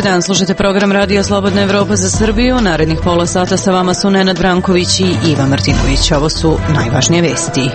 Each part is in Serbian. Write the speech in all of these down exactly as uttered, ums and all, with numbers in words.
Dobar dan, slušate program Radio Slobodna Evropa za Srbiju. Narednih pola sata sa vama su Nenad Branković i Iva Martinović. Ovo su najvažnije vesti.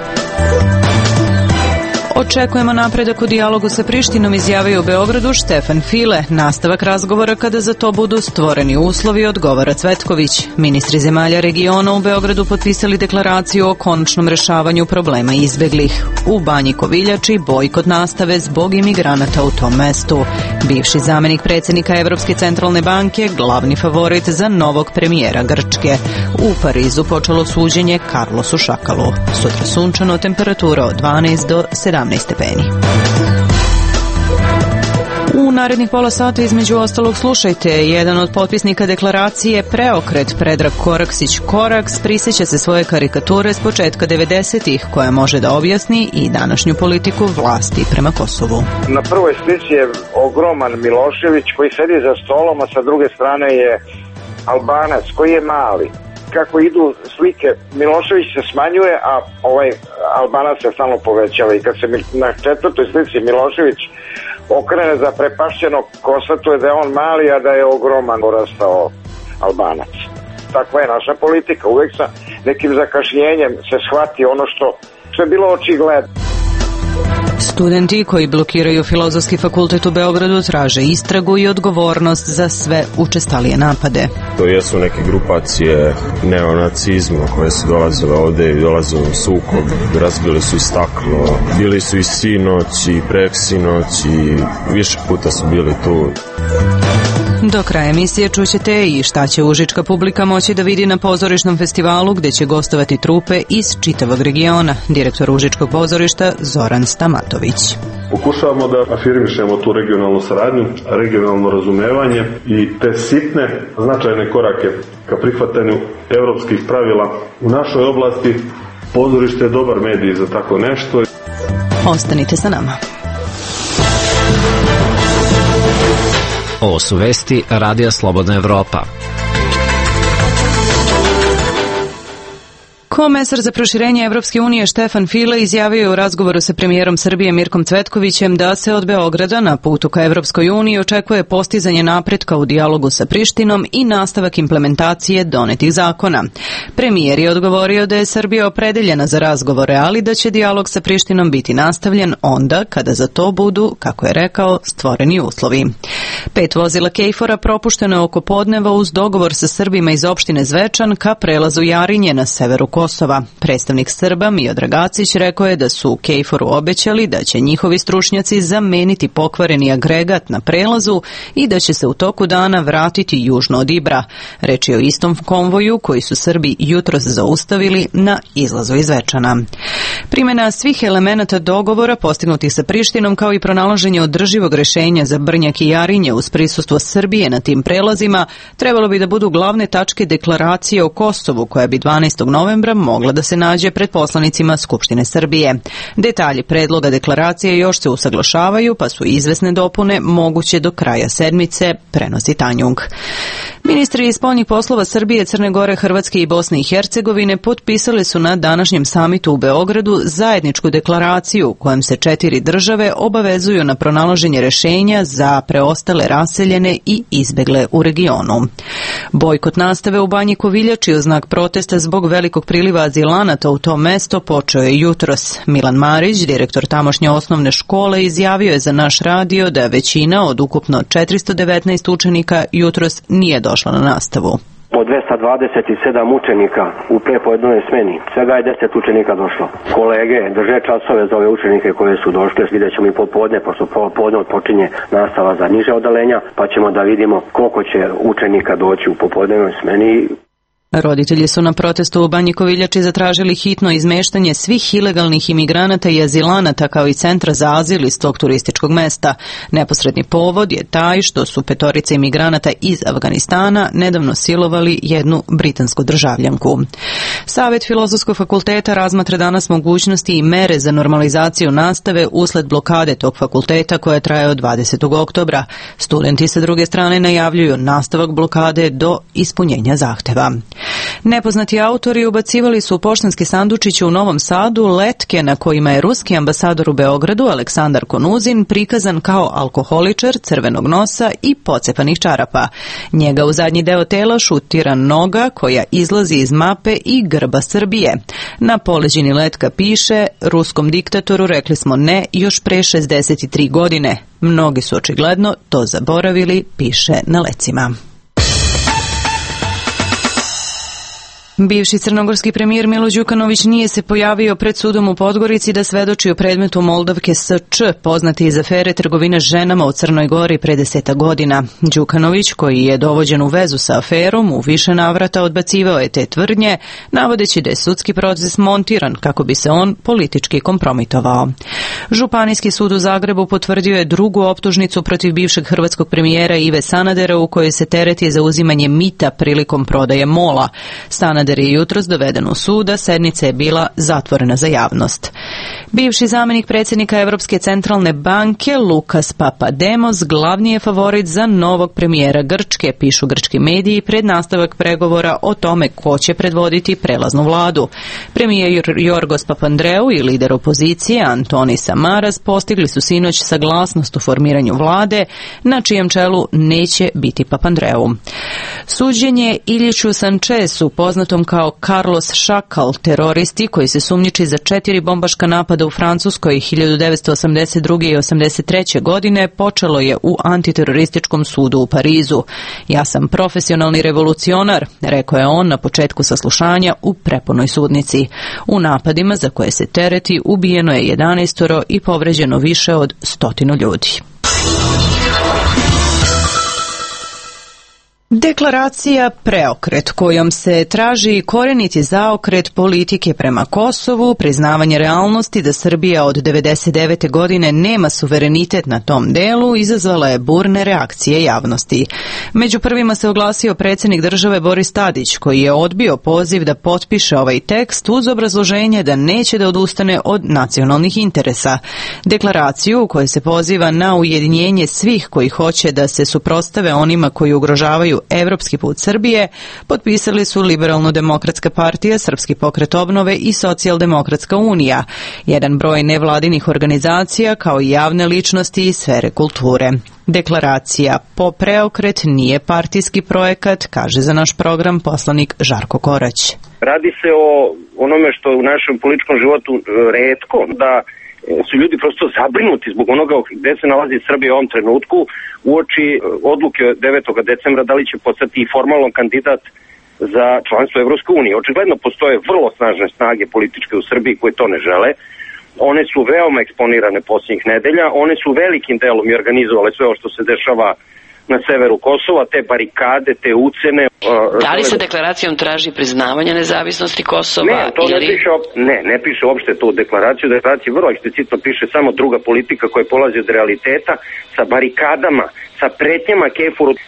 Očekujemo napredak u dijalogu sa Prištinom, izjavio u Beogradu Štefan File. Nastavak razgovora kada za to budu stvoreni uslovi, odgovara Cvetković. Ministri zemalja regiona u Beogradu potpisali deklaraciju o konačnom rešavanju problema izbeglih. U Banji Koviljači bojkot nastave zbog imigranata u tom mestu. Bivši zamenik predsjednika Evropske centralne banke, glavni favorit za novog premijera Grčke. U Parizu počelo suđenje Carlosu Šakalu. Sutra sunčano, temperatura od dvanaest do sedamnaest stepeni. U narednih pola sata između ostalog slušajte, jedan od potpisnika deklaracije Preokret, Predrag Koraksić Koraks, prisjeća se svoje karikature s početka devedesetih koja može da objasni i današnju politiku vlasti prema Kosovu. Na prvoj slici je ogroman Milošević koji sedi za stolom, a sa druge strane je Albanac koji je mali. Kako idu slike, Milošević se smanjuje, a ovaj Albanac se stalno povećava i kad se na četvrtoj slici Milošević okrene za prepašćeno, konstatuje da je on mali, a da je ogroman porastao Albanac. Takva je naša politika, uvek sa nekim zakašnjenjem se shvati ono što, što je bilo očigledno. Studenti koji blokiraju Filozofski fakultet u Beogradu traže istragu i odgovornost za sve učestalije napade. To jesu neke grupacije neonacizma koje su dolazile ovde i dolazile u sukob, razbili su i staklo, bili su i sinoć i preksinoć i više puta su bili tu. Do kraja emisije čućete i šta će užička publika moći da vidi na pozorišnom festivalu gde će gostovati trupe iz čitavog regiona. Direktor Užičkog pozorišta Zoran Stamatović. Pokušavamo da afirmišemo tu regionalnu saradnju, regionalno razumevanje i te sitne značajne korake ka prihvatanju evropskih pravila. U našoj oblasti pozorište je dobar medij za tako nešto. Ostanite sa nama. Ovo su vesti Radija Slobodna Evropa. Komesar za proširenje Evropske unije Štefan File izjavio je u razgovoru sa premijerom Srbije Mirkom Cvetkovićem da se od Beograda na putu ka Evropskoj uniji očekuje postizanje napretka u dijalogu sa Prištinom i nastavak implementacije donetih zakona. Premijer je odgovorio da je Srbija opredeljena za razgovore, ali da će dijalog sa Prištinom biti nastavljen onda kada za to budu, kako je rekao, stvoreni uslovi. Pet vozila Kejfora propušteno je oko podneva uz dogovor sa Srbima iz opštine Zvečan ka prelazu Jarinje na severu Kosova. Predstavnik Srba Miodrag Gacić rekao je da su u Kejforu obećali da će njihovi stručnjaci zameniti pokvareni agregat na prelazu i da će se u toku dana vratiti južno od Ibra. Reč je o istom konvoju koji su Srbi jutros zaustavili na izlazu iz Zvečana. Primjena svih elemenata dogovora postignutih sa Prištinom kao i pronalaženje održivog rešenja za Brnjak i Jarinje uz prisustvo Srbije na tim prelazima trebalo bi da budu glavne tačke deklaracije o Kosovu koja bi dvanaestog novembra mogla da se nađe pred poslanicima Skupštine Srbije. Detalji predloga deklaracije još se usaglašavaju, pa su izvesne dopune moguće do kraja sedmice, prenosi Tanjung. Ministri spoljnih poslova Srbije, Crne Gore, Hrvatske i Bosne i Hercegovine potpisali su na današnjem samitu u Beogradu zajedničku deklaraciju kojom se četiri države obavezuju na pronalaženje rešenja za preostale raseljene i izbegle u regionu. Bojkot nastave u Banji Koviljači u znak protesta zbog velikog priliva azilanata u to mesto počeo je jutros. Milan Marić, direktor tamošnje osnovne škole, izjavio je za naš radio da većina od ukupno četiristo devetnaest učenika jutros nije došla na nastavu. Od dvesta dvadeset sedam učenika u prepodnevnoj smeni, svega je deset učenika došlo. Kolege drže časove za ove učenike koje su došle, vidjet ćemo i popodne, pošto popodne počinje nastava za niže odalenja, pa ćemo da vidimo koliko će učenika doći u popodnevnoj smeni. Roditelji su na protestu u Banji Koviljači zatražili hitno izmeštanje svih ilegalnih imigranata i azilanata kao i centra za azil iz tog turističkog mesta. Neposredni povod je taj što su petorice imigranata iz Afganistana nedavno silovali jednu britansku državljanku. Savet Filozofskog fakulteta razmatra danas mogućnosti i mere za normalizaciju nastave usled blokade tog fakulteta koja traje od dvadesetog oktobra. Studenti sa druge strane najavljuju nastavak blokade do ispunjenja zahteva. Nepoznati autori ubacivali su u poštanski sandučić u Novom Sadu letke na kojima je ruski ambasador u Beogradu Aleksandar Konuzin prikazan kao alkoholičar, crvenog nosa i pocepanih čarapa. Njega u zadnji deo tela šutira noga koja izlazi iz mape i grba Srbije. Na poleđini letka piše: ruskom diktatoru rekli smo ne još pre šezdeset tri godine. Mnogi su očigledno to zaboravili, piše na lecima. Bivši crnogorski premijer Milo Đukanović nije se pojavio pred sudom u Podgorici da svedoči o predmetu Moldavke S Č, poznati iz afere trgovine ženama u Crnoj Gori pre deseta godina. Đukanović, koji je dovođen u vezu sa aferom, u više navrata odbacivao je te tvrdnje, navodeći da je sudski proces montiran kako bi se on politički kompromitovao. Županijski sud u Zagrebu potvrdio je drugu optužnicu protiv bivšeg hrvatskog premijera Ive Sanadera u kojoj se tereti za uzimanje mita prilikom prodaje Mola. Sanader je jutros doveden u sud, a sednica je bila zatvorena za javnost. Bivši zamenik predsjednika Evropske centralne banke Lukas Papademos glavni je favorit za novog premijera Grčke, pišu grčki mediji pred nastavak pregovora o tome ko će predvoditi prelaznu vladu. Premijer Jorgos Papandreou i lider opozicije Antonis Samaras postigli su sinoć saglasnost u formiranju vlade, na čijem čelu neće biti Papandreou. Suđenje Iljiću Sančesu, poznatom kao Carlos Šakal, teroristi koji se sumnjiči za četiri bombaška napada u Francuskoj hiljadu devetsto osamdeset druge i osamdeset treće godine, počelo je u antiterorističkom sudu u Parizu. Ja sam profesionalni revolucionar, rekao je on na početku saslušanja u prepunoj sudnici. U napadima za koje se tereti ubijeno je jedanaestoro i povređeno više od stotinu ljudi. Deklaracija Preokret, kojom se traži koreniti zaokret politike prema Kosovu, priznavanje realnosti da Srbija od devedeset devete godine nema suverenitet na tom delu, izazvala je burne reakcije javnosti. Među prvima se oglasio predsjednik države Boris Tadić, koji je odbio poziv da potpiše ovaj tekst uz obrazloženje da neće da odustane od nacionalnih interesa. Deklaraciju u kojoj se poziva na ujedinjenje svih koji hoće da se suprotstave onima koji ugrožavaju evropski put Srbije, potpisali su Liberalno-demokratska partija, Srpski pokret obnove i Socijaldemokratska unija, jedan broj nevladinih organizacija kao i javne ličnosti iz sfere kulture. Deklaracija po Preokret nije partijski projekat, kaže za naš program poslanik Žarko Korać. Radi se o onome što je u našem političkom životu retko, da su ljudi prosto zabrinuti zbog onoga gde se nalazi Srbija u ovom trenutku uoči odluke devetog decembra da li će postati i formalno kandidat za članstvo Evropske unije. Očigledno postoje vrlo snažne snage političke u Srbiji koje to ne žele. One su veoma eksponirane posljednjih nedelja, one su velikim delom i organizovale sve ovo što se dešava na severu Kosova, te barikade, te ucene. Da li se deklaracijom traži priznavanje nezavisnosti Kosova? Ne, to ili... ne piše, ne, ne piše uopšte to u deklaraciju. Deklaraciji vrlo eksplicitno piše samo druga politika koja polazi od realiteta, sa barikadama, sa pretnjama Kefuru, e,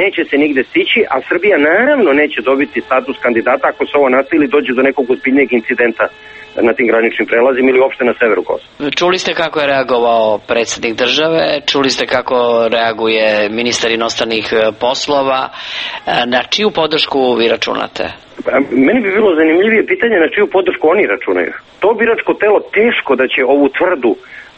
neće se nigde stići, a Srbija naravno neće dobiti status kandidata ako se ovo nastavi dođe do nekog ozbiljnijeg incidenta na tim graničnim prelazima ili uopšte na severu Kosova. Čuli ste kako je reagovao predsjednik države, čuli ste kako reaguje ministar inostranih poslova, na čiju podršku vi računate? Meni bi bilo zanimljivije pitanje na čiju podršku oni računaju. To biračko telo teško da će ovu tvrdu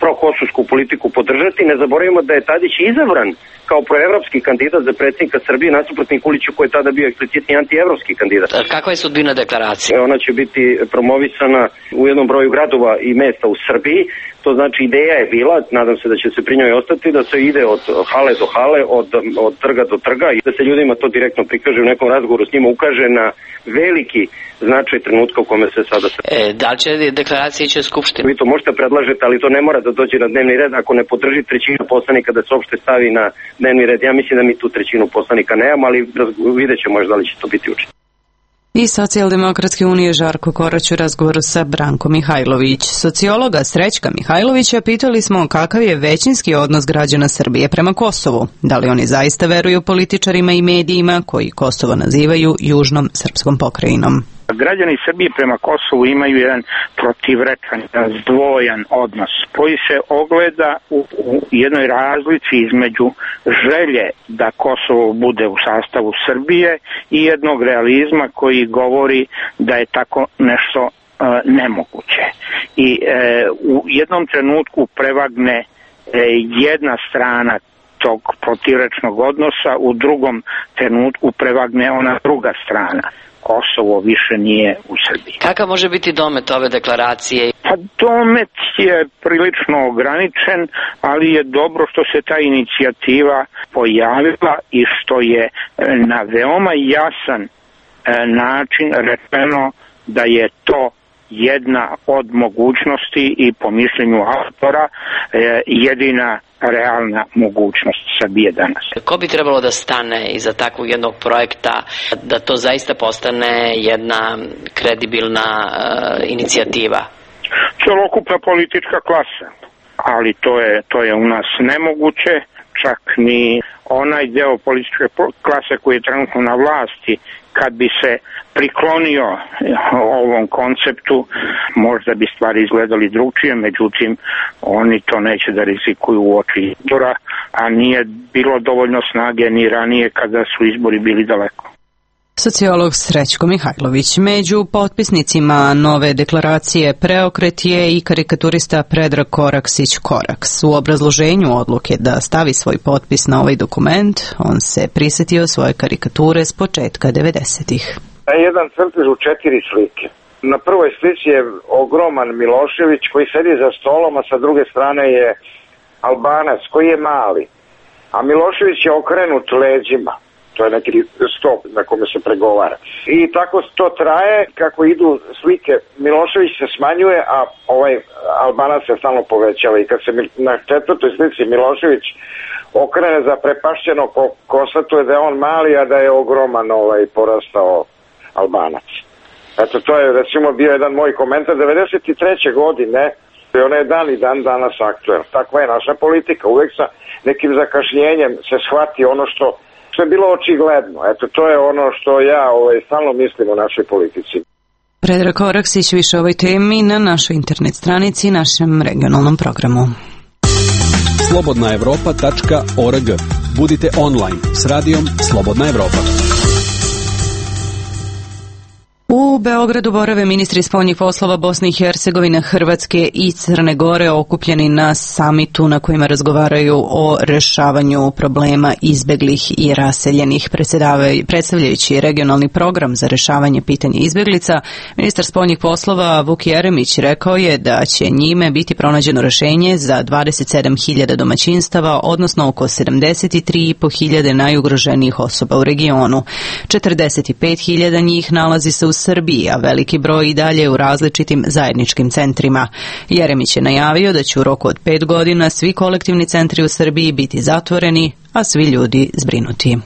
prokosovsku politiku podržati. Ne zaboravimo da je Tadić izabran kao proevropski kandidat za predsjednika Srbije nasuprot Nikoliću koji je tada bio eksplicitni antievropski kandidat. Kakva je sudbina deklaracije? Ona će biti promovisana u jednom broju gradova i mesta u Srbiji. To znači ideja je bila, nadam se da će se pri njoj ostati, da se ide od hale do hale, od, od trga do trga i da se ljudima to direktno prikaže u nekom razgovoru s njima, ukaže na veliki značaj trenutka u kome se sada... E, da li će deklaracija ići u Skupštinu? Vi to možete predlažete, ali to ne mora da dođe na dnevni red ako ne podrži trećina poslanika da se uopšte stavi na dnevni red. Ja mislim da mi tu trećinu poslanika nemamo, ali vidjet ćemo možda da li će to biti učinjeno. I Socijaldemokratske unije Žarko Korać u razgovoru sa Brankom Mihajlović. Sociologa Srećka Mihajlovića pitali smo kakav je većinski odnos građana Srbije prema Kosovu. Da li oni zaista veruju političarima i medijima koji Kosovo nazivaju južnom srpskom pokrajinom? Građani Srbije prema Kosovu imaju jedan protivrečan, zdvojan odnos koji se ogleda u, u jednoj razlici između želje da Kosovo bude u sastavu Srbije i jednog realizma koji govori da je tako nešto e, nemoguće. I e, u jednom trenutku prevagne e, jedna strana tog protivrečnog odnosa, u drugom trenutku prevagne ona druga strana. Kosovo više nije u Srbiji. Kakav može biti domet ove deklaracije? Pa domet je prilično ograničen, ali je dobro što se ta inicijativa pojavila i što je na veoma jasan način rečeno da je to jedna od mogućnosti i po mišljenju autora jedina realna mogućnost Srbije danas. Ko bi trebalo da stane iza takvog jednog projekta da to zaista postane jedna kredibilna uh, inicijativa? Celokupna politička klasa, ali to je, to je u nas nemoguće, čak ni onaj deo političke klase koji je trenutno na vlasti, kad bi se priklonio ovom konceptu, možda bi stvari izgledali drugčije, međutim oni to neće da rizikuju u oči izbora, a nije bilo dovoljno snage ni ranije kada su izbori bili daleko. Sociolog Srećko Mihajlović. Među potpisnicima nove deklaracije Preokret je i karikaturista Predrag Koraksić-Koraks. U obrazloženju odluke da stavi svoj potpis na ovaj dokument, on se prisetio svoje karikature s početka devedesetih. Jedan crtež u četiri slike. Na prvoj slici je ogroman Milošević koji sedi za stolom, a sa druge strane je Albanac koji je mali. A Milošević je okrenut leđima. To je neki stop na kome se pregovara. I tako to traje, kako idu slike, Milošević se smanjuje, a ovaj Albanac se stalno povećava. I kad se na četvrtoj slici Milošević okrene za prepašćeno, konstatuje da je on mali, a da je ogroman ovaj porastao Albanac. Eto, to je recimo bio jedan moj komentar devedeset treće godine, i ona je dan i dan danas aktuelna. Takva je naša politika, uvek sa nekim zakašnjenjem se shvati ono što što je bilo očigledno. Eto, to je ono što ja ovaj, stalno mislim o našoj politici. Predrag Koraksić, više o ovoj temi na našoj internet stranici i našem regionalnom programu. slobodna evropa tačka org. Budite online s radijom Slobodna Evropa. U Beogradu borave ministri spoljnih poslova Bosne i Hercegovine, Hrvatske i Crne Gore okupljeni na samitu na kojima razgovaraju o rešavanju problema izbeglih i raseljenih. Predstavljajući regionalni program za rešavanje pitanja izbeglica, ministar spoljnih poslova Vuk Jeremić rekao je da će njime biti pronađeno rešenje za dvadeset sedam hiljada domaćinstava, odnosno oko sedamdeset tri i po hiljade najugroženijih osoba u regionu. četrdeset pet hiljada njih nalazi se u Srbiji, a veliki broj i dalje u različitim zajedničkim centrima. Jeremić je najavio da će u roku od pet godina svi kolektivni centri u Srbiji biti zatvoreni, a svi ljudi zbrinuti.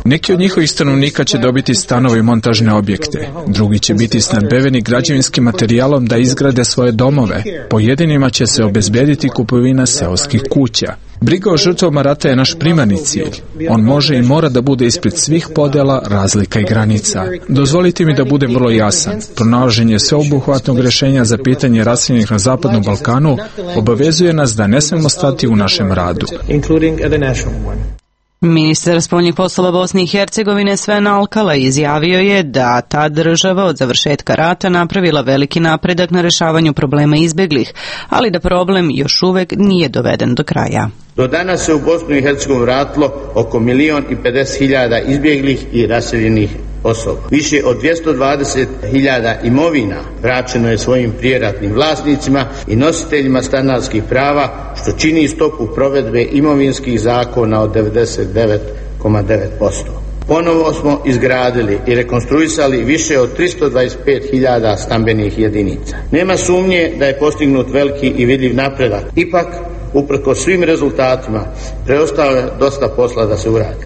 Neki od njihovih stanovnika će dobiti stanove i montažne objekte. Drugi će biti snabdeveni građevinskim materijalom da izgrade svoje domove. Pojedinima će se obezbediti kupovina seoskih kuća. Briga o žrtvama rata je naš primarni cilj. On može i mora da bude ispred svih podela, razlika i granica. Dozvolite mi da budem vrlo jasan. Pronalaženje sveobuhvatnog rešenja za pitanje raseljenih na Zapadnom Balkanu obavezuje nas da ne smemo stati u našem radu. Ministar spoljnih poslova Bosne i Hercegovine Sven Alkala izjavio je da ta država od završetka rata napravila veliki napredak na rešavanju problema izbeglih, ali da problem još uvek nije doveden do kraja. Do danas se u Bosnu i Hercegovinu vratilo oko milion i pedeset hiljada izbjeglih i raseljenih osoba. Više od dvjesto dvadeset hiljada imovina vraćeno je svojim prijeratnim vlasnicima i nositeljima stanarskih prava, što čini stopu provedbe imovinskih zakona od devedeset devet zarez devet posto. Ponovo smo izgradili i rekonstruisali više od tristo dvadeset pet hiljada stambenih jedinica. Nema sumnje da je postignut veliki i vidljiv napredak. Ipak, uprkos svim rezultatima, preostalo je dosta posla da se uradi.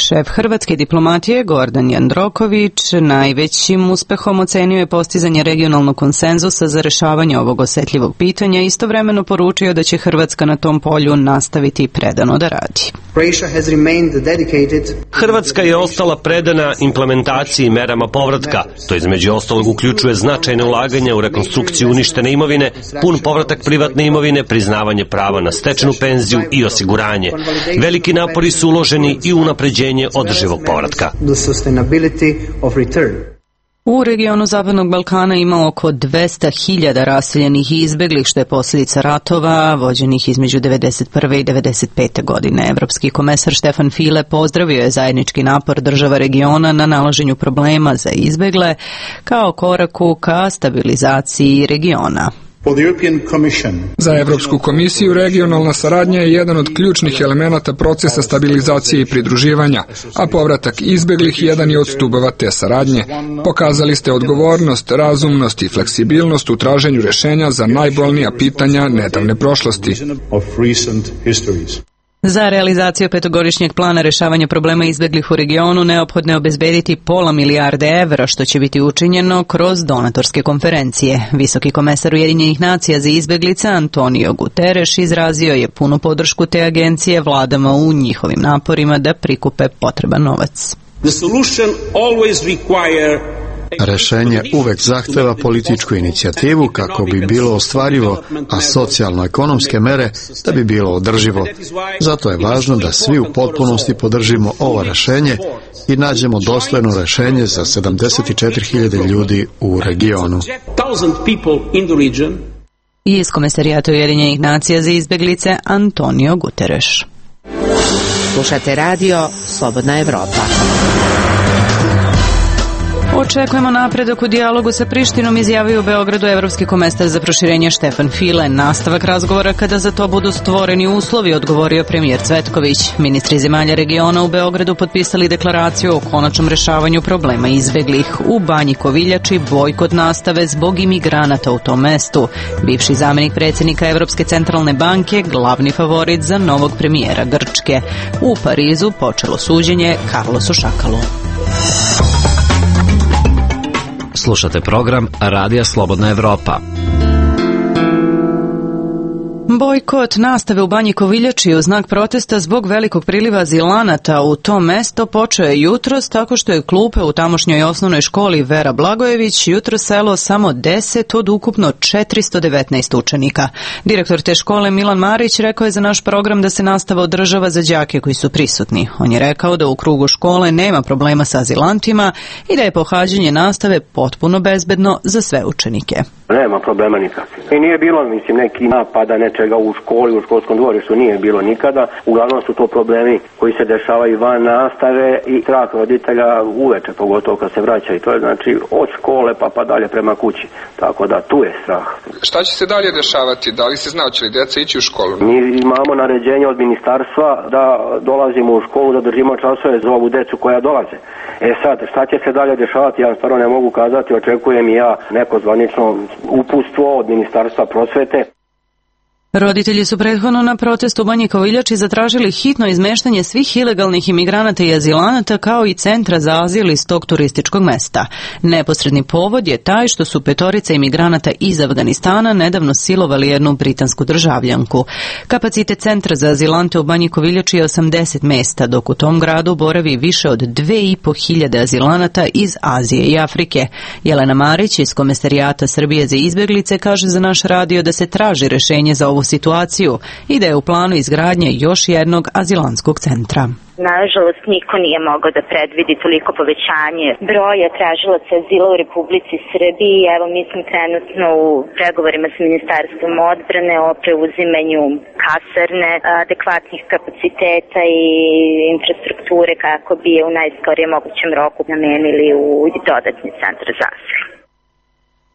Šef hrvatske diplomatije Gordan Jandroković najvećim uspehom ocenio je postizanje regionalnog konsenzusa za rešavanje ovog osetljivog pitanja i istovremeno poručio da će Hrvatska na tom polju nastaviti predano da radi. Hrvatska je ostala predana implementaciji merama povratka. To između ostalog uključuje značajne ulaganja u rekonstrukciju uništene imovine, pun povratak privatne imovine, priznavanje prava na stečenu penziju i osiguranje. Veliki napori su uloženi i u unapređenje održivog povratka. U regionu Zapadnog Balkana ima oko dvesta hiljada raseljenih i izbeglih, što je posljedica ratova vođenih između devedeset prve i devedeset pete godine. Evropski komesar Štefan File pozdravio je zajednički napor država regiona na nalaženju problema za izbegle kao koraku ka stabilizaciji regiona. Za Evropsku komisiju regionalna saradnja je jedan od ključnih elemenata procesa stabilizacije i pridruživanja, a povratak izbeglih jedan je od stubova te saradnje. Pokazali ste odgovornost, razumnost i fleksibilnost u traženju rešenja za najbolnija pitanja nedavne prošlosti. Za realizaciju petogodišnjeg plana rešavanja problema izbeglih u regionu neophodno je obezbediti pola milijarde evra, što će biti učinjeno kroz donatorske konferencije. Visoki komesar Ujedinjenih nacija za izbeglice Antonio Guterres izrazio je punu podršku te agencije vladama u njihovim naporima da prikupe potreban novac. The solution always require Rešenje uvek zahteva političku inicijativu kako bi bilo ostvarivo, a socijalno-ekonomske mere da bi bilo održivo. Zato je važno da svi u potpunosti podržimo ovo rešenje i nađemo dostojno rešenje za sedamdeset četiri hiljade ljudi u regionu. Iz Komesarijata Ujedinjenih nacija za izbeglice Antonio Guterres. Slušate radio Slobodna Evropa. Očekujemo napredak u dijalogu sa Prištinom, izjavio u Beogradu evropski komesar za proširenje Štefan File. Nastavak razgovora kada za to budu stvoreni uslovi, odgovorio premijer Cvetković. Ministri zemalja regiona u Beogradu potpisali deklaraciju o konačnom rešavanju problema izbeglih. U Banji Koviljači bojkot nastave zbog imigranata u tom mestu. Bivši zamenik predsjednika Evropske centralne banke, glavni favorit za novog premijera Grčke. U Parizu počelo suđenje Carlosu Šakalu. Slušate program Radija Slobodna Evropa. Bojkot nastave u Banji Koviljači u znak protesta zbog velikog priliva azilanata u to mesto počeo je jutros tako što je klupe u tamošnjoj osnovnoj školi Vera Blagojević jutros selo samo deset od ukupno četiristo devetnaest učenika. Direktor te škole Milan Marić rekao je za naš program da se nastava održava za đake koji su prisutni. On je rekao da u krugu škole nema problema sa azilantima i da je pohađanje nastave potpuno bezbedno za sve učenike. Nema problema nikakvih. I nije bilo, mislim, neki napada nečega u školi, u školskom dvorištu, nije bilo nikada. Uglavnom su to problemi koji se dešavaju van nastave i strah roditelja uveče, pogotovo kad se vraća. I to je znači od škole pa pa dalje prema kući. Tako da tu je strah. Šta će se dalje dešavati? Da li se zna, će li djeca ići u školu? Mi imamo naređenje od ministarstva da dolazimo u školu, da držimo časove za ovu decu koja dolaze. E sad, šta će se dalje dešavati, ja stvarno ne mogu kazati, očekujem i ja neko zvanično uputstvo od Ministarstva prosvete. Roditelji su prethodno na protestu u Banji Koviljači zatražili hitno izmeštanje svih ilegalnih imigranata i azilanata kao i centra za azil iz tog turističkog mesta. Neposredni povod je taj što su petorica imigranata iz Afganistana nedavno silovali jednu britansku državljanku. Kapacitet centra za azilante u Banji Koviljači je osamdeset mesta, dok u tom gradu boravi više od dve i po hiljade azilanata iz Azije i Afrike. Jelena Marić iz Komesarijata Srbije za izbjeglice kaže za naš radio da se traži rešenje za ovu situaciju i da je u planu izgradnje još jednog azilantskog centra. Nažalost, niko nije mogao da predvidi toliko povećanje broja tražilaca azila u Republici Srbiji. Evo, mi smo trenutno u pregovorima sa Ministarstvom odbrane o preuzimanju kasarne, adekvatnih kapaciteta i infrastrukture kako bi je u najskorijem mogućem roku namenili u dodatni centar za azil.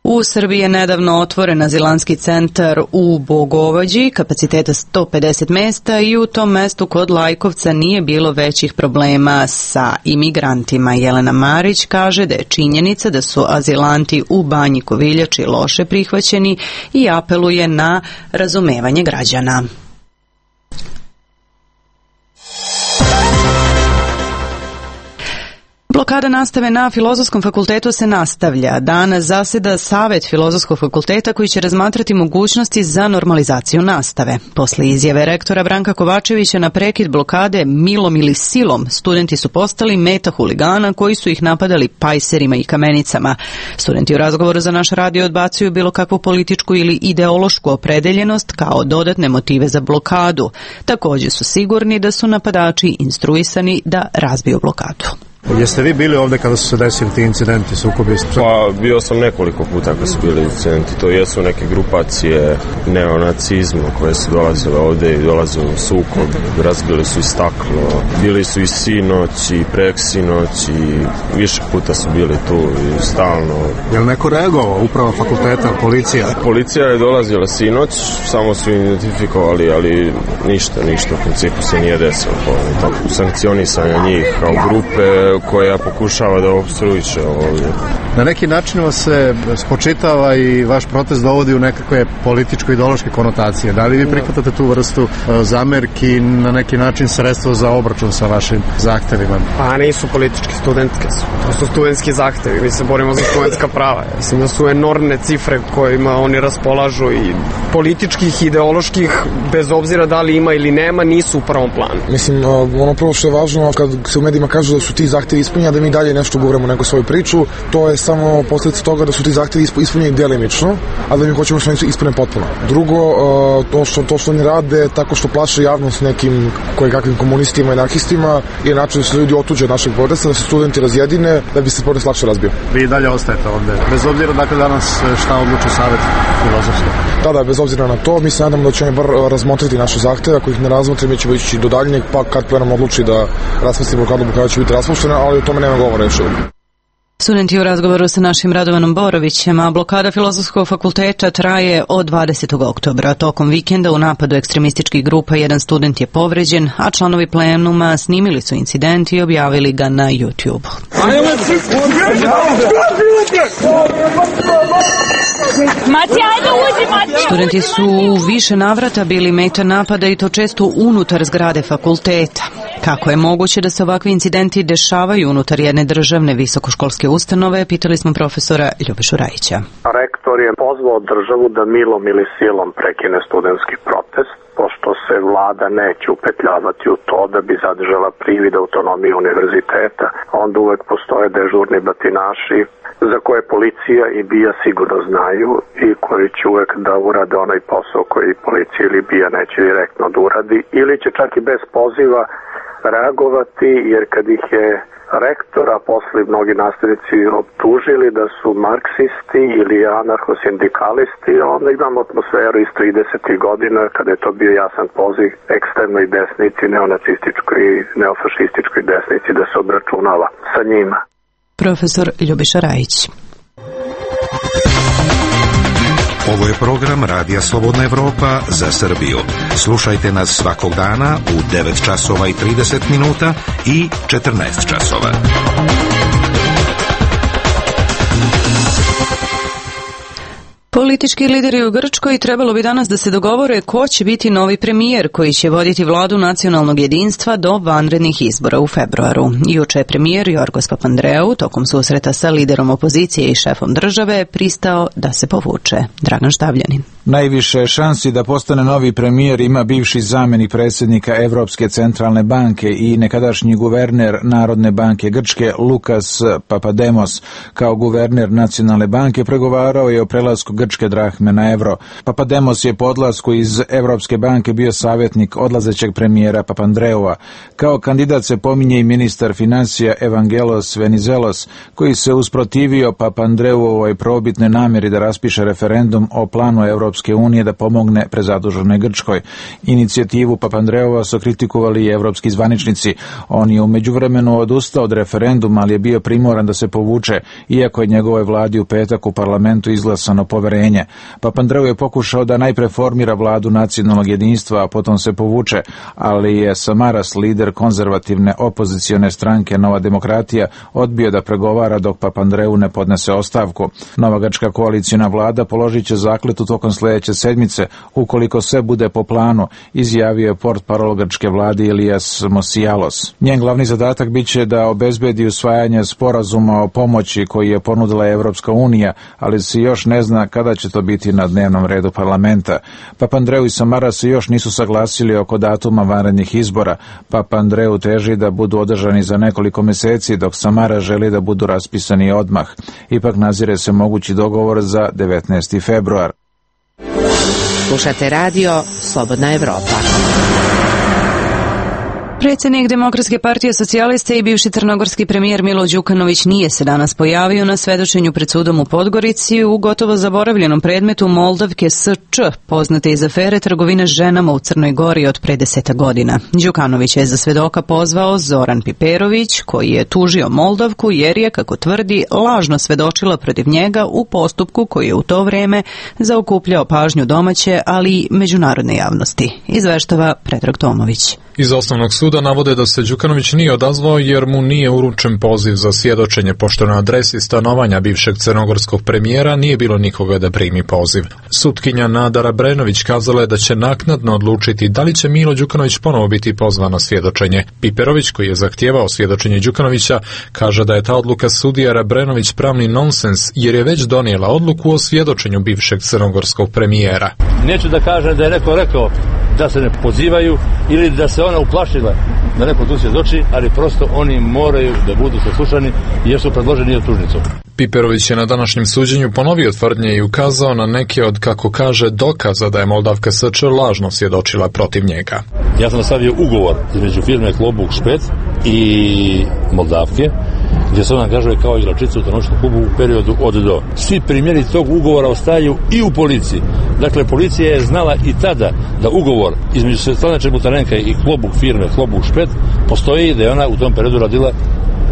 U Srbiji je nedavno otvoren azilantski centar u Bogovađi, kapaciteta sto pedeset mesta i u tom mestu kod Lajkovca nije bilo većih problema sa imigrantima. Jelena Marić kaže da je činjenica da su azilanti u Banji Koviljači loše prihvaćeni i apeluje na razumevanje građana. Blokada nastave na Filozofskom fakultetu se nastavlja. Danas zaseda Savet Filozofskog fakulteta koji će razmatrati mogućnosti za normalizaciju nastave. Posle izjave rektora Branka Kovačevića na prekid blokade milom ili silom, studenti su postali meta huligana koji su ih napadali pajserima i kamenicama. Studenti u razgovoru za naš radio odbacuju bilo kakvu političku ili ideološku opredeljenost kao dodatne motive za blokadu. Također su sigurni da su napadači instruisani da razbiju blokadu. Jeste vi bili ovdje kada su se desili ti incidenti, sukobi? Pa bio sam nekoliko puta kada su bili incidenti. To jesu neke grupacije neonacizma koje su dolazile ovdje i dolazile u sukob. Razbili su i staklo. Bili su i sinoć i preksinoć i više puta su bili tu i stalno. Je li neko reagovao, uprava fakulteta, policija? Policija je dolazila sinoć, samo su identifikovali, ali ništa, ništa u principu se nije desilo. Sankcionisanja njih kao grupe koja pokušava da opstruiše ovdje. Na neki način vas se spočitava i vaš protest dovodi u nekakve političko-ideološke konotacije. Da li vi prihvatate tu vrstu zamerki, na neki način sredstvo za obračun sa vašim zahtevima? Pa nisu politički, studentske su. To su studentski zahtevi. Mi se borimo za studentska prava. Mislim da su enormne cifre kojima oni raspolažu i političkih, ideoloških, bez obzira da li ima ili nema, nisu u prvom planu. Mislim, ono prvo što je važno, kad se u medijima kažu da su ti zahtevi ispunjeni, da mi dalje nešto govorimo neku svoju priču, to je samo posljedica toga da su ti zahtevi ispunjeni delimično, a da mi hoćemo što nisu ispunjeni potpuno. Drugo, to što, to što oni rade tako što plaše javnost nekim kojekakvim komunistima i anarhistima je način da se ljudi otuđe od našeg protesta, da se studenti razjedine, da bi se protest lakše razbio. Vi dalje ostajete ovdje, bez obzira dakle danas šta odluči Savet Filozofskog? Da, da, bez obzira na to, mi se nadamo da će oni bar razmotriti naše zahteve, ako ih ne razmotre, mi ćemo ići do daljnjeg, pa kad plenum odluči da raspusti blokadu, blokada će biti raspuštena, ali o tome nema govora još uvijek. Studenti u razgovoru sa našim Radovanom Borovićem, a blokada Filozofskog fakulteta traje od dvadesetog oktobra. Tokom vikenda u napadu ekstremističkih grupa jedan student je povređen, a članovi plenuma snimili su incident i objavili ga na YouTube. Studenti su u više navrata bili meta napada i to često unutar zgrade fakulteta. Kako je moguće da se ovakvi incidenti dešavaju unutar jedne državne visokoškolske ustanove, pitali smo profesora Ljubišu Rajića. Rektor je pozvao državu da milom ili silom prekine studentski protest, pošto se vlada neće upetljavati u to da bi zadržala privid autonomije univerziteta. Onda uvek postoje dežurni batinaši za koje policija i BIA sigurno znaju i koji će uvek da urade onaj posao koji policija ili BIA neće direktno da uradi, ili će čak i bez poziva reagovati, jer kad ih je rektor, a posle mnogi nastavnici optužili da su marksisti ili anarcho-sindikalisti, onda imamo atmosferu iz tridesetih godina kada je to bio jasan poziv ekstremnoj desnici, neonacističkoj i neofašističkoj desnici da se obračunava sa njima. Profesor Ljubiša Rajić. Ovo je program Radija Slobodna Evropa za Srbiju. Slušajte nas svakog dana u devet časova i trideset minuta i četrnaest časova. Politički lideri u Grčkoj trebalo bi danas da se dogovore ko će biti novi premijer koji će voditi vladu nacionalnog jedinstva do vanrednih izbora u februaru. Juče je premijer Jorgos Papandreou tokom susreta sa liderom opozicije i šefom države pristao da se povuče. Dragan Štavljanin. Najviše šansi da postane novi premijer ima bivši zamjenik predsjednika Evropske centralne banke i nekadašnji guverner Narodne banke Grčke Lukas Papademos. Kao guverner Nacionalne banke pregovarao je o prelasku grčke drahme na evro. Papademos je po odlasku iz Evropske banke bio savjetnik odlazećeg premijera Papandreua. Kao kandidat se pominje i ministar financija Evangelos Venizelos, koji se usprotivio Papandreuvovoj probitne namjeri da raspiše referendum o planu Evropske unije da pomogne prezaduženoj Grčkoj. Inicijativu Papandreua su kritikovali i evropski zvaničnici. On je u međuvremenu odustao od referenduma, ali je bio primoran da se povuče, iako je njegovoj vladi u petak u parlamentu izglasano poverenje. Papandreou je pokušao da najpre formira vladu nacionalnog jedinstva, a potom se povuče, ali je Samaras, lider konzervativne opozicione stranke Nova demokratija, odbio da pregovara dok Papandreou ne podnese ostavku. Nova grčka koalicijna vlada položit će zakletu tokom sljedeće sedmice, ukoliko sve bude po planu, izjavio je portparol grčke vlade Ilias Mosialos. Njen glavni zadatak biće da obezbedi usvajanje sporazuma o pomoći koji je ponudila Evropska unija, ali se još ne zna kada će to biti na dnevnom redu parlamenta. Papandreou i Samara se još nisu saglasili oko datuma vanrednih izbora. Papandreou teži da budu održani za nekoliko mjeseci, dok Samara želi da budu raspisani odmah. Ipak nazire se mogući dogovor za devetnaesti februar. Slušate radio Slobodna Evropa. Predsjednik Demokratske partije socijaliste i bivši crnogorski premijer Milo Đukanović nije se danas pojavio na svedočenju pred sudom u Podgorici u gotovo zaboravljenom predmetu Moldavke S Č, poznate iz afere trgovine ženama u Crnoj Gori od pre deseta godina. Đukanović je za svedoka pozvao Zoran Piperović, koji je tužio Moldavku jer je, kako tvrdi, lažno svedočila protiv njega u postupku koji je u to vrijeme zaokupljao pažnju domaće, ali i međunarodne javnosti. Izveštava Predrag Tomović. Iz osnovnog suda navode da se Đukanović nije odazvao jer mu nije uručen poziv za svjedočenje, pošto na adresi stanovanja bivšeg crnogorskog premijera nije bilo nikoga da primi poziv. Sutkinja Nada Rabrenović kazala je da će naknadno odlučiti da li će Milo Đukanović ponovo biti pozvan na svjedočenje. Piperović, koji je zahtijevao svjedočenje Đukanovića, kaže da je ta odluka sudija Rabrenović pravni nonsens jer je već donijela odluku o svjedočenju bivšeg crnogorskog premijera. Neću da kažem da je neko rekao da se ne pozivaju ili da se ona uplašila da neko tu svjedoči, ali prosto oni moraju da budu saslušani jer su predloženi optužnicom. Piperović je na današnjem suđenju ponovio tvrdnje i ukazao na neke od, kako kaže, dokaza da je Moldavka S Č lažno svjedočila protiv njega. Ja sam stavio ugovor između firme Klobuk Špec i Moldavke, gdje se ona angažuje kao igračica u trnočnom klubu u periodu od do. Svi primjeri tog ugovora ostaju i u policiji. Dakle, policija je znala i tada da ugovor između Svetlane Čebutarenka i Klobuk firme Klobuk Špec postoji i da je ona u tom periodu radila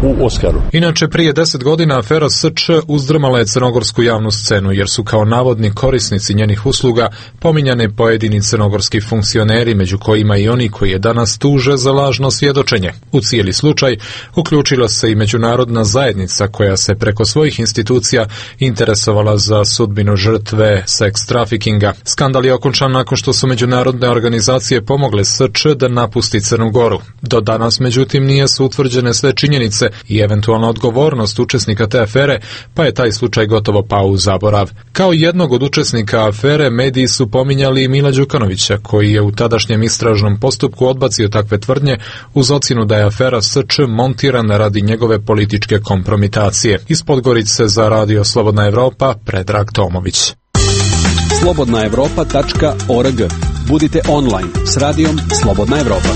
u Oskaru. Inače, prije deset godina afera S Č uzdrmala je crnogorsku javnu scenu, jer su kao navodni korisnici njenih usluga pominjane pojedini crnogorski funkcioneri, među kojima i oni koji je danas tuže za lažno svjedočenje. U cijeli slučaj uključila se i međunarodna zajednica koja se preko svojih institucija interesovala za sudbinu žrtve seks trafikinga. Skandal je okončan nakon što su međunarodne organizacije pomogle S Č da napusti Crnu Goru. Do danas, međutim, nije su utvrđene sve činjenice i eventualna odgovornost učesnika te afere, pa je taj slučaj gotovo pao u zaborav. Kao jednog od učesnika afere, mediji su pominjali i Mila Đukanovića, koji je u tadašnjem istražnom postupku odbacio takve tvrdnje uz ocjenu da je afera S Č montirana radi njegove političke kompromitacije. Iz Podgorice za radio Slobodna Evropa, Predrag Tomović. slobodna evropa tačka org. Budite online s radijom Slobodna Evropa.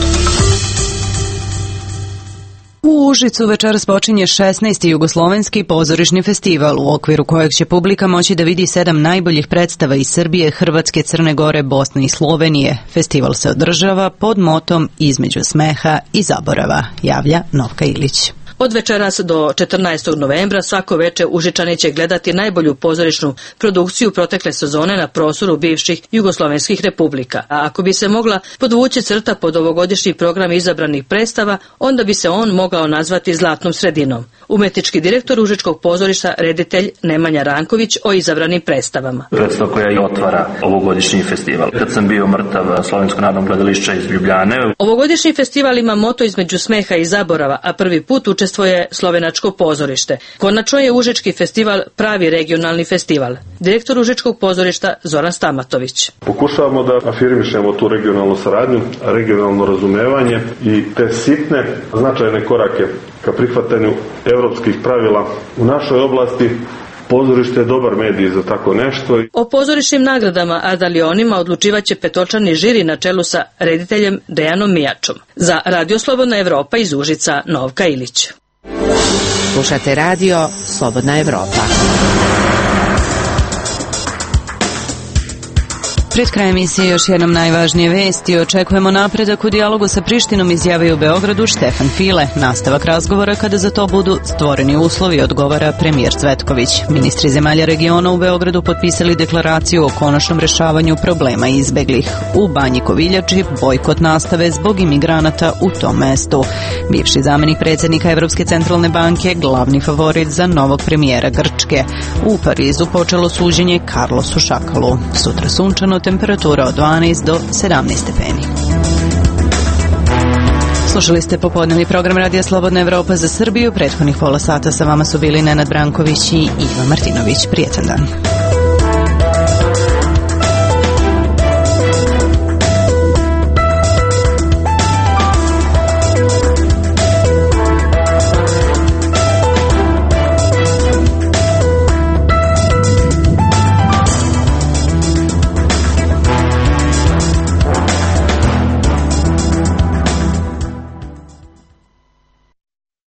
U Užicu večeras počinje šesnaesti jugoslovenski pozorišni festival, u okviru kojeg će publika moći da vidi sedam najboljih predstava iz Srbije, Hrvatske, Crne Gore, Bosne i Slovenije. Festival se održava pod motom Između smeha i zaborava, javlja Novka Ilić. Od večeras do četrnaestog novembra svako veče Užičani će gledati najbolju pozorišnu produkciju protekle sezone na prostoru bivših jugoslovenskih republika. A ako bi se mogla podvući crta pod ovogodišnji program izabranih predstava, onda bi se on mogao nazvati zlatnom sredinom. Umetnički direktor Užičkog pozorišta, reditelj Nemanja Ranković o izabranim predstavama. Predstava koja i otvara ovogodišnji festival. Kad sam bio mrtav, Slovensko narodno gledališće iz Ljubljane. Ovogodišnji festival ima moto Između smeha i zaborava, a prvi put učestvuje Slovenačko pozorište. Konačno je Užički festival pravi regionalni festival. Direktor Užičkog pozorišta Zoran Stamatović. Pokušavamo da afirmišemo tu regionalnu saradnju, regionalno razumevanje i te sitne značajne korake ka prihvatanju evropskih pravila u našoj oblasti. Pozorište je dobar medij za tako nešto. O pozorišnim nagradama, a da li onima odlučivaće petočlani žiri na čelu sa rediteljem Dejanom Mijačom. Za Radio Slobodna Evropa iz Užica, Novka Ilić. Slušate radio Slobodna Evropa. Pred krajem emisije još jednom najvažnije vesti. Očekujemo napredak u dijalogu sa Prištinom, izjavio u Beogradu Štefan File. Nastavak razgovora kada za to budu stvoreni uslovi, odgovara premijer Cvetković. Ministri zemalja regiona u Beogradu potpisali deklaraciju o konačnom rešavanju problema izbeglih. U Banji Koviljači bojkot nastave zbog imigranata u tom mestu. Bivši zamenik predsjednika Evropske centralne banke, glavni favorit za novog premijera Grčke. U Parizu počelo suđenje Carlosu Šakalu. Sutra sunčano, temperatura od dvanaest do sedamnaest stepeni. Slušali ste popodnevni program Radija Slobodna Evropa za Srbiju. Prethodnih pola sata sa vama su bili Nenad Branković i Iva Martinović. Prijetan dan.